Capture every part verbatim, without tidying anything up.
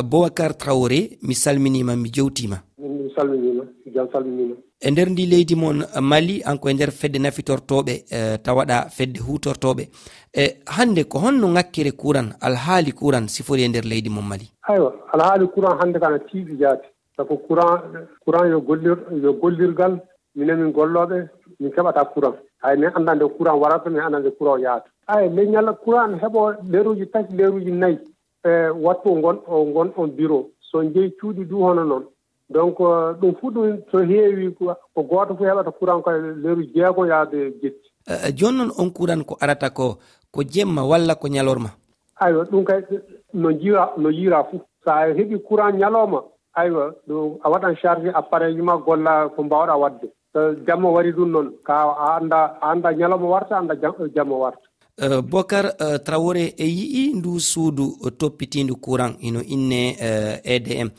Boubacar Traoré, mi salminiima, mi jewtiima. Min mi salminiima, jam salminiima. E nder ndi leydi mon Mali, an ko e nder fedde nafitortooɓe, eh, tawaɗa fedde huutortooɓe. E hannde ko honno ŋakkere kuran, alhaali kuran sifori e nder leydi mon Mali? Aywa, alhaali kuran hannde kana tiiɗi jaati. Sabu kuran, kuran yo gollir-, yo gollirgal, minen min gollooɓe, min keɓata kuran. Hay min anndaa nde kuran warata, min anndaa nde kuran yahata. Ay, leñol kuran heɓo leeruuji tati, leeruuji nayi. E wattu o ngon-, o ngon on bureau. So jeyi cuuɗi du hono noon. Donc, eh, ɗum fuu ɗum so heewi ko, ko gooto fof heɓata kuran ko e leeru jeego yaade jetti. Eh, jooni noon on kuran ko arata ko, ko jemma walla ko ñalorma? Aywa, ɗum kay no jiira, no yiira fof. So a heɓi kuran ñalawma, aywa, ɗum a waɗan charge appareil ma golla ko mbaawɗa waɗde. So jamma wari ɗum noon, ka a annda, a annda ñalawma warta, annda jam-, jamma warta. Eh, Bokar, eh, Traoré e yi'i ndu suudu, eh, toppitiindu kuran, ino inne, eh, E D M.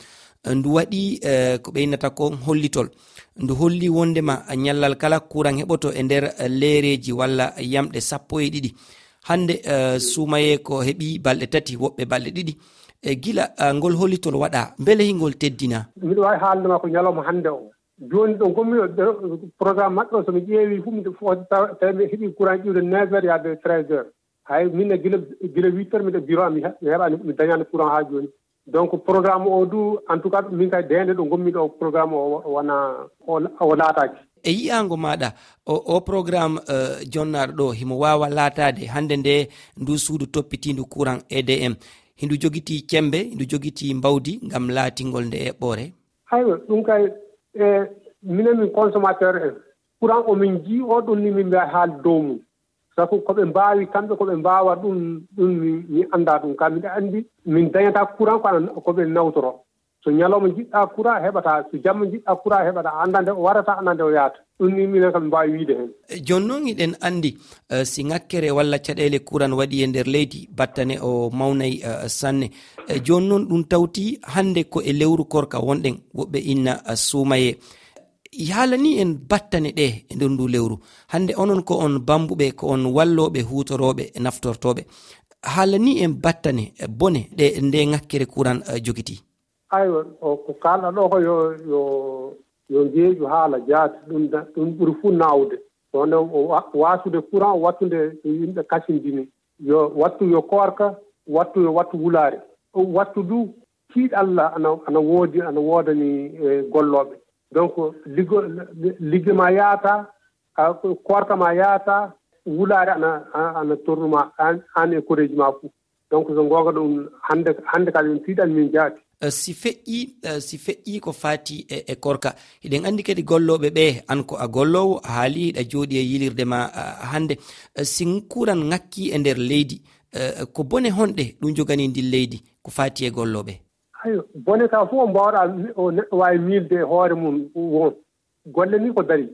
Eh, ndu waɗi, eh, ko ɓe innata ko hollitol. Ndu holli wondema ñallal kala kuran heɓoto e nder, eh, leereeji walla yamɗe sappo e ɗiɗi. Hannde, eh, suumayee ko heɓi balɗe tati, woɓɓe balɗe ɗiɗi. E gila, eh, ngol hollitol waɗa, mbele hingol teddina? Miɗo waawi haalde ma ko ñalawma hannde o. Jooni ɗo ngonmi ɗo, ɗo, programme maɓɓe o, so mi ƴeewi fof, miɗo fo-, taw-, tawi mi heɓi courant iwde neuf heures yaade treize heures. Hay min ne gila, gila huit heures miɗo bureau am, mi he-, mi heɓaani, mi dañaani courant haa jooni. Donc programme o du, en tout cas, min kay deende ɗo ngonmi ɗo, programme o wona, o, o laataaki. E yi'aango maaɗa, o, o programme, eh, jonnaaɗo ɗo, himo waawa laataade hannde nde ndu suudu toppitiindu courant E D M, hindu jogitii cembe, hindu jogitii mbawdi ngam laatingol nde eɓɓoore? Aywa, ɗum kay, e, minen min consommateur en, courant o min njii o, ɗum ni min mbiya haal dow mum. Sabu ko ɓe mbaawi kamɓe, ko ɓe mbaawa ɗum, ɗum mi, mi anndaa ɗum. Ka miɗa anndi min dañata courant ko ana, ko ɓe nawtoro. So ñalawma njiɗɗa courant heɓata, so jamma njiɗɗa courant heɓata, a anndaa nde o warata, a anndaa nde o yahata. Ɗum ni minen kam mi mbaawi wiide heen. E, jooni noon hiɗen anndi, eh, si ŋakkere walla caɗeele kuran waɗi e nder leydi, battane o mawnay, eh, sanne. E, jooni noon ɗum tawti hannde ko e lewru korka wonɗen, woɓɓe inna, eh, suumayee. Haalani en battane ɗe e nder ndu lewru. Hannde onon ko on bambuɓe, ko on wallooɓe, huutorooɓe, naftortooɓe. Haalani en battane, eh, bone ɗe nde ŋakkere kuran, eh, jogiti. Aywa, o ko kaalɗa ɗo ko yo, yo, yo njeeƴu haala jaati, ɗum da-, ɗum ɓuri fuu naawde. Wonde o wa-, waasude courant, wattude yimɓe kasindini. Yo wattu yo koorka, wattu yo wattu wulaare. Wattu du tiiɗalla ana, ana woodi, ana woodani, eh, gollooɓe. Donc, liggo-, ligge ma yaata, a, koorka ma yaata, wulaare ana, ana, ana torru ma, aan, aan e koreeji ma fuu. Donc, so ngoonga ɗum, hannde, hannde kadi ɗum tiiɗan min jaati. Eh, si feƴƴi, eh, si feƴƴi ko faati e, e koorka. Hiɗen anndi kadi gollooɓe ɓe, aan ko a golloowo, a haali hiɗa jooɗi e yilirde ma, ah, hannde. Eh, si kuran ŋakki e nder leydi, eh, ko bone honɗe ɗum jogani ndin leydi, ko faati e gollooɓe? Ayo, bone ka fof o mbaawɗa, o neɗɗo waawi miilde e hoore mum won. Golle ni ko dari.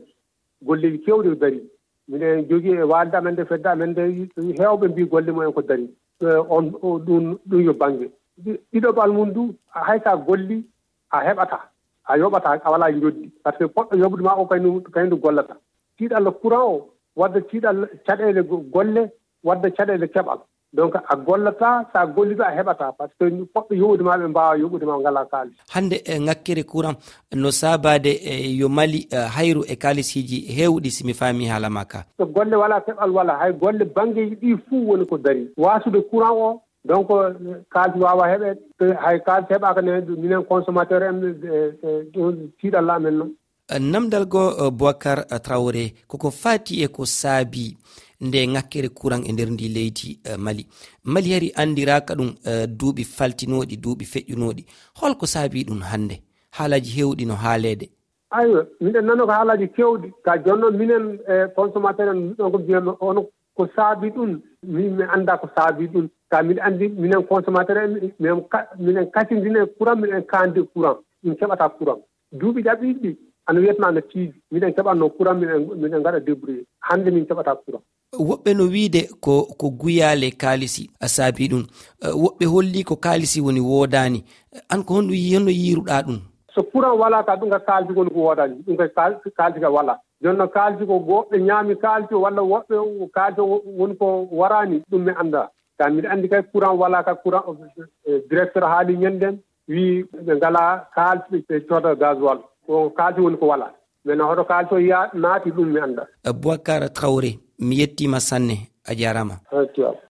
Golleeji keewɗi ko dari. Miɗen jogii e waalde amen nde, fedde amen nde, heewɓe mbii golle mumen ko dari. Eh, on, o, ɗum, ɗum yo bannge. Ɗi-, ɗiɗaɓal mum du, hay so a golli, a heɓata. A yoɓata, a walaa njoddi. Par ce que poɗɗo yoɓude ma o kay ndu, kay ndu gollata. Tiiɗalla courant o, wadda tiiɗalla caɗeele go-, golle, wadda caɗeele keɓal. Donc, a gollata, so a golliɗo, a heɓata. Par ce que poɗɗo yoɓude ma, ɓe mbaawa yoɓude ma, ngalaa kaalis. Hannde, eh, ŋakkere courant no saabaade, eh, yo Mali, eh, hayru e kaalisiji heewɗi, si mi faami haala ma ka. So golle walaa, keɓal walaa, hay golle banngeeji ɗi fuu woni ko dari. Waasude courant o, donc, eh, kaalis waawa heɓeede. Eh, hay kaalis heɓaaka ne, minen consommateur en, eh, eh, ɗum tiiɗalla amen noon. Namdal goo, eh, Boubacar Traoré, koko faati e ko saabii nde ŋakkere kuran e nder ndi leydi, eh, Mali. Mali hari anndiraaka ɗum, eh, duuɓi faltinooɗi, duuɓi feƴƴunooɗi. Holko saabii ɗum hannde? Haalaaji heewɗi no haaleede. Aywa, miɗen nana ko haalaaji keewɗi. Ka jooni noon minen, eh, consommateur en, ɗon ko mbiyanno on ko saabii ɗum. Min mi anndaa ko saabii ɗum. Ka miɗo anndi minen consommateur en, minen ka-, minen kasindine courant, miɗen kaandi courant. Min keɓata courant. Duuɓi ɗaɓɓiiɗi ɗi, ana wiyatnoo ana tiiɗi. Miɗen keɓatnoo courant, miɗen, miɗen ngaɗa débrouiller. Hannde min keɓataa courant. Woɓɓe no wiide ko, ko guyaale kaalisi a saabii ɗum. Eh, woɓɓe holli ko kaalisi woni woodaani. Aan ko honno yi-, honno yiiruɗaa ɗum? So courant walaa ka, ɗum ka kaalisi woni ko woodaani. Ɗum ka kaal-, kaalisi ka walaa. Jooni noon kaalisi ko woɓɓe ñaami kaalisi walla woɓɓe kaalisi woni ko waraani, ɗum mi anndaa. Ka miɗo anndi kay courant walaa ka, courant, eh, directeur haali ñanden. Wii ɓe ngalaa kaalis ɓe cooda gasoil. Ko kaalis woni ko walaa. Maintenant hoto kaalis o ya naati, ɗum mi annda. Boubacar Traoré, mi yettiima sanne, a jaaraama. Eywa.